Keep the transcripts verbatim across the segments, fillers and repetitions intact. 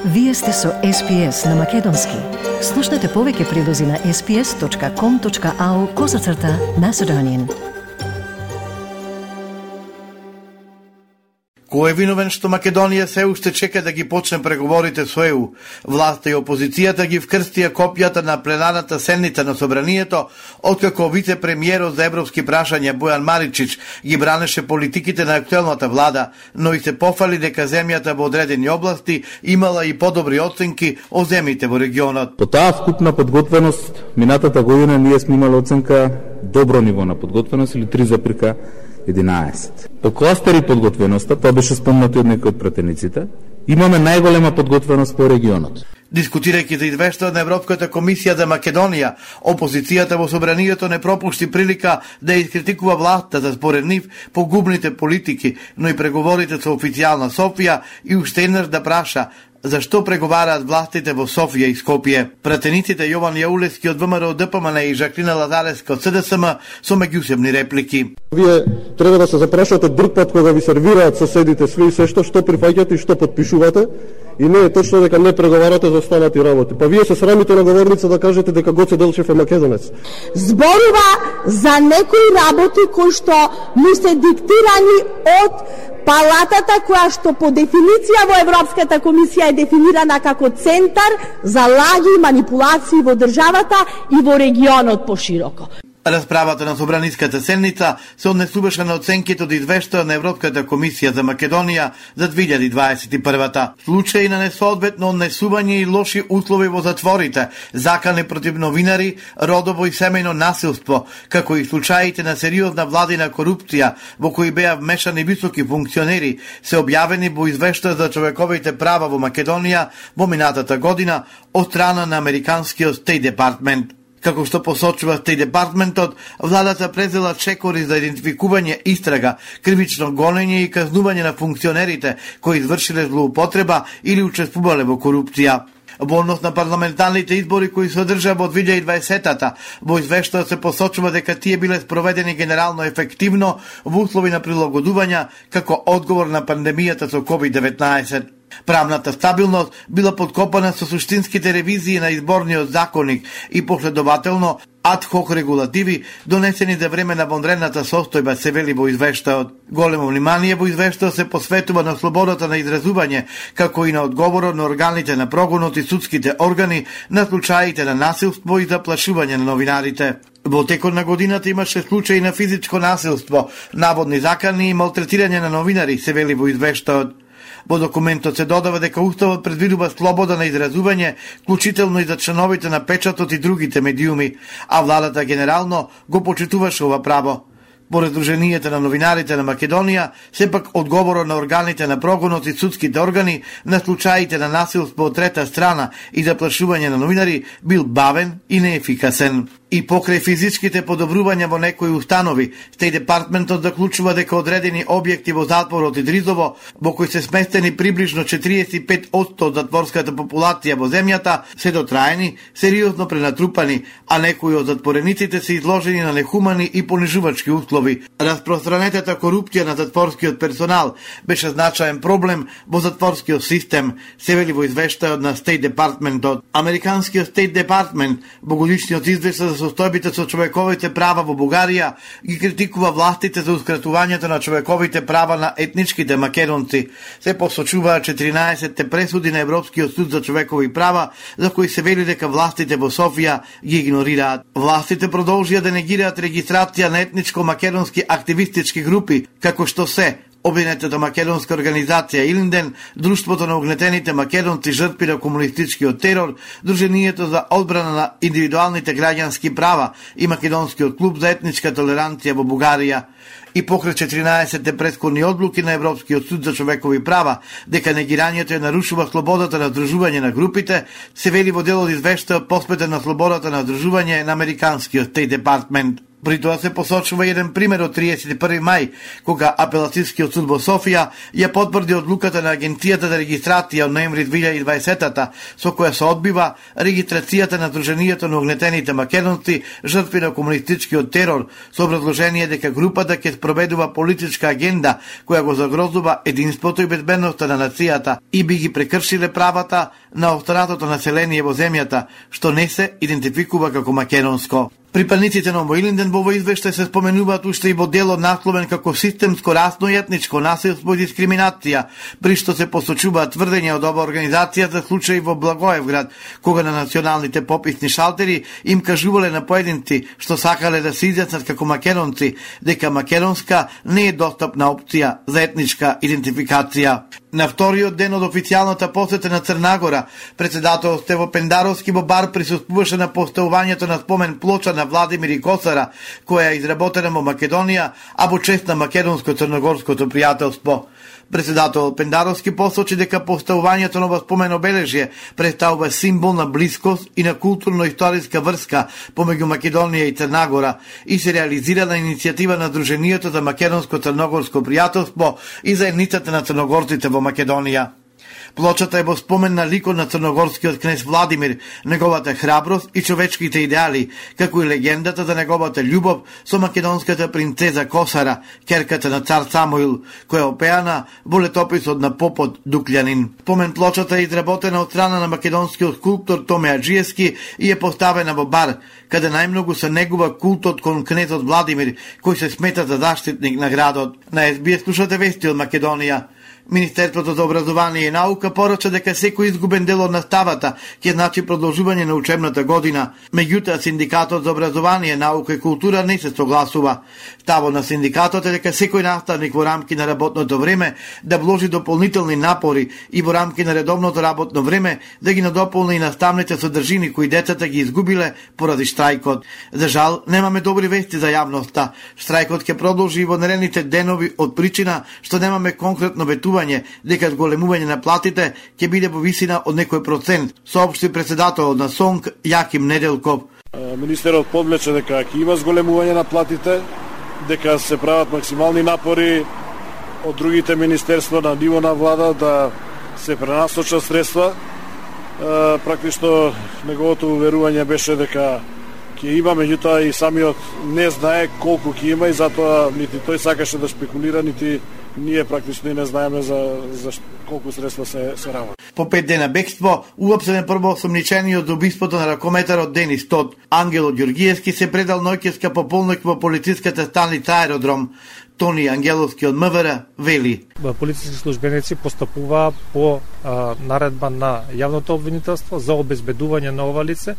Вие сте со Ес Би Ес на Македонски. Слушнете повеќе прилози на ес би ес точка ком точка ау козацрта Macedonian. Кој е виновен што Македонија се уште чека да ги почне преговорите со Е У? Власта и опозицијата ги вкрстија копијата на пленарната седница на Собранието, откако вице-премиерот за европски прашања Бојан Маричич ги бранеше политиките на актуелната влада, но и се пофали дека земјата во одредени области имала и подобри оценки од земјите во регионот. По таа вкупна подготвеност, минатата година ние сме имали оценка добро ниво на подготвеност или три запирка единаесет. По кластери подготвеноста, тоа беше спомнато од некои од пратениците, имаме најголема подготвеност по регионот. Дискутирајќи за извештајот на Европската комисија за Македонија, опозицијата во Собранието не пропушти прилика да искритикува власта за според нив погубните политики, но и преговорите со официјална Софија и уште еднаш да праша зашто преговараат властите во Софија и Скопје. Пратениците Јован Јаулевски од Вэ Ем Р Д П М Н и Жаклина Лазаревска од С Д С М со меѓусебни реплики. Вие треба да се запрашате друг пат кога ви сервираат соседите све и се што што прифаќате и што подпишувате, и не е точно дека не преговарате за останати работи. Па вие се срамите на говорница да кажете дека Гоце Делчев е македонец. Зборува за некои работи кои што му се диктирани од палатата која што по дефиниција во Европската комисија е дефинирана како центар за лаги и манипулации во државата и во регионот пошироко. Расправата на Собраниската седница се однесуваше на оценките од извештајот на Европската комисија за Македонија за две илјади дваесет и прва. Случаи на несоодветно однесување и лоши услови во затворите, закани против новинари, родово и семејно насилство, како и случаите на сериозна владина корупција во кои беа вмешани високи функционери, се објавени во извештај за човековите права во Македонија во минатата година од страна на американскиот Стейт Департмент. Како што посочува Стейт Департментот, владата презела чекори за идентификување, истрага, кривично гонење и казнување на функционерите кои извршиле злоупотреба или учествувале во корупција. Во однос на парламентарните избори кои се одржаа во две илјади и дваесета, во извештајот се посочува дека тие биле спроведени генерално ефективно во услови на прилагодување како одговор на пандемијата со ковид деветнаесет. Правната стабилност била подкопана со суштинските ревизии на изборниот законник и последователно ад-хок регулативи донесени за време на вонредната состојба, се вели во извештајот. Големо внимание во извештајот се посветува на слободата на изразување, како и на одговорот на органите на прогонот и судските органи на случаите на насилство и заплашување на новинарите. Во текот на годината имаше случаи на физичко насилство, наводни закани и малтретирање на новинари, се вели во извештајот. Во документот се додава дека Уставот предвидува слобода на изразување, вклучително и за членовите на печатот и другите медиуми, а владата генерално го почитуваше ова право. По Раздруженијата на новинарите на Македонија, сепак одговорот на органите на прогонот и судските органи на случаите на насилство од трета страна и заплашување на новинари бил бавен и неефикасен. И покрај физичките подобрувања во некои установи, Стейт Департментот заклучува дека одредени објекти во затворот Идризово, во кои се сместени приближно четириесет и пет одсто од затворската популација во земјата, се дотраени, сериозно пренатрупани, а некои од затворениците се изложени на нехумани и понижувачки услови. Распространетата корупција на затворскиот персонал беше значаен проблем во затворскиот систем, се вели во извештајот на Стейт Департментот. Американскиот Стейт Департмент во годишниот извештај за состојбите со човековите права во Бугарија ги критикува властите за ускратувањето на човековите права на етничките македонци. Се посочуваат четиринаесетте пресуди на Европскиот суд за човекови права, за кои се вели дека властите во Софија ги игнорираат. Властите продолжија да негираат регистрација на етничко-македонски активистички групи, како што се Обединетата македонска организација Илинден, Друштвото на угнетените македонци жртви на комунистичкиот терор, Друженијето за одбрана на индивидуалните граѓански права и Македонскиот клуб за етничка толеранција во Бугарија. И покрај четиринаесетте претходни одлуки на Европскиот суд за човекови права дека негирањето ја нарушува слободата на здружување на групите, се вели во дел од извештајот посветен на слободата на здружување на Американскиот Стейт Департмент. При тоа се посочува еден пример од триесет и први мај, кога Апелацијскиот суд во Софија ја потврди одлуката на Агенцијата за регистрација од ноември две илјади и дваесета, со која се одбива регистрацијата на Друженијето на угнетените македонци жртви на комунистичкиот терор, со образложение дека групата ќе спроведува политичка агенда која го загрозува единството и безбедноста на нацијата и би ги прекршиле правата на останатото население во земјата, што не се идентификува како македонско. Припадниците на Обоилинден во овој извештај се споменуваат уште и во делот насловен како системско расно и етничко насилство и дискриминација, при што се посочуваат тврдења од ова организација за случаи во Благоевград, кога на националните пописни шалтери им кажувале на поединци што сакале да се изјаснат како македонци, дека македонска не е достапна опција за етничка идентификација. На вториот ден од официјалната посета на Црна Гора, председател Стево Пендаровски во Бар присуствуваше на поставувањето на спомен плоча на Владимир и Косара, која е изработена во Македонија, а во чест на македонско-црногорското пријателство. Председател Пендаровски посочи дека поставувањето на ова спомен обележје представува символ на блискост и на културно-историска врска помеѓу Македонија и Црна Гора и се реализира на иницијатива на Друженијето за македонско-црногорско пријателство и заедницата на црногорците во Македонија. Плочата е во спомен на ликот на црногорскиот кнез Владимир, неговата храброст и човечките идеали, како и легендата за неговата љубов со македонската принцеза Косара, керката на цар Самуил, која опеана во летописот на попот Дуклјанин. Спомен плочата е изработена од страна на македонскиот скулптор Томе Аджиевски и е поставена во Бар, каде најмногу се негува култот кон кнезот Владимир, кој се смета за заштитник на градот. На Ес Би Ес слушате вести од Македонија. Министерството за образование и наука порача дека секој изгубен дел од наставата ќе значи продолжување на учебната година. Меѓутоа, Синдикатот за образование, наука и култура не се согласува. Ставот на синдикатот е дека секој наставник во рамки на работното време да вложи дополнителни напори и во рамки на редовното работно време да ги надополни и наставните содржини кои децата ги изгубиле поради штрајкот. За жал, немаме добри вести за јавноста. Штрајкот ќе продолжи во наредните денови од причина што немаме конкретно ветување дека зголемување на платите ќе биде во висина од некој процент, соопшти председателот на СОНК Јаким Неделков. Министерот подлече дека ќе има зголемување на платите, дека се прават максимални напори од другите министерства на ниво на влада да се пренасочат средства. Практично неговото уверување беше дека ќе има, меѓутоа и самиот не знае колку ќе има и затоа нити тој сакаше да спекулира, нити ние практично не знаеме за, за колку средства се, се работи. По пет дена бегство, уапсен првоосомничениот за убиството на ракометарот Денис Тод. Ангело Ѓоргиевски се предал ноќеска пополнок во полициската станица Аеродром. Тони Ангеловски од М В Р вели. Полициски службеници постапуваа по а, наредба на јавното обвинителство за обезбедување на ова лице.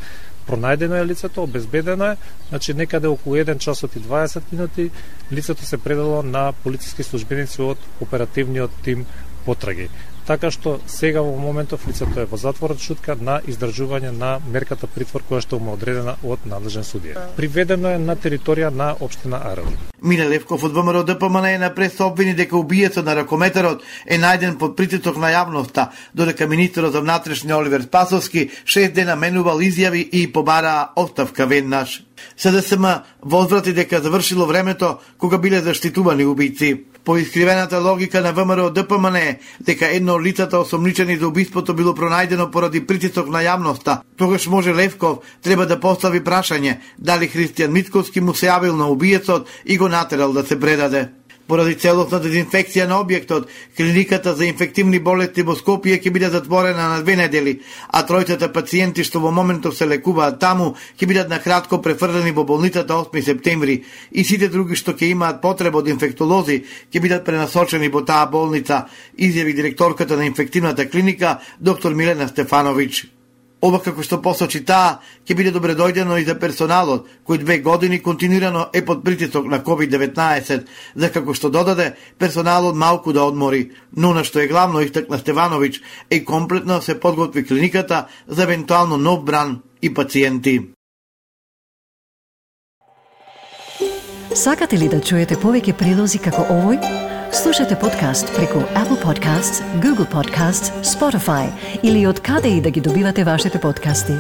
Пронајдено е лицето, обезбедено е, значи некаде околу еден часот и дваесет минути лицето се предало на полициски службеници од оперативниот тим потраги. Така што сега во моментов лицето е во затворот шутка на издржување на мерката притвор која што му одредена од надлежен судија. Приведено е на територија на општина Аеродром. Миле Левков од Вэ М Р Д П М Н е напред се обвини дека убиецот на ракометарот е најден под притисок на јавноста, додека министерот за внатрешни Оливер Спасовски шест дена менувал изјави и побараа оставка веднаш. С Д С М возврати дека завршило времето кога биле заштитувани убици. По искривената логика на Вэ М Р Д П М Н дека едно од лицата осомничени за убиството било пронајдено поради притисок на јавноста, тогаш може Левков треба да постави прашање дали Христијан Мицковски му се јавил на убиецот и го натерал да се предаде. Поради целосна дезинфекција на објектот, клиниката за инфективни болести во Скопје ќе биде затворена на две недели, а тројцата пациенти што во моментов се лекуваат таму ќе бидат на кратко префрлени во болницата осми септември и сите други што ќе имаат потреба од инфектолози ќе бидат пренасочени во таа болница, изјави директорката на инфективната клиника доктор Милена Стефановиќ. Ова, како што посочи таа, ќе биде добредојдено и за персоналот, кој две години континуирано е под притисок на ковид деветнаесет, за како што додаде персоналот малку да одмори, но на што е главно истакна Стефановиќ, е комплетно се подготви клиниката за евентуално нов бран и пациенти. Сакате ли да чуете повеќе прилози како овој? Слушате подкаст преку Apple Podcasts, Google Podcasts, Spotify или од каде и да ги добивате вашите подкасти.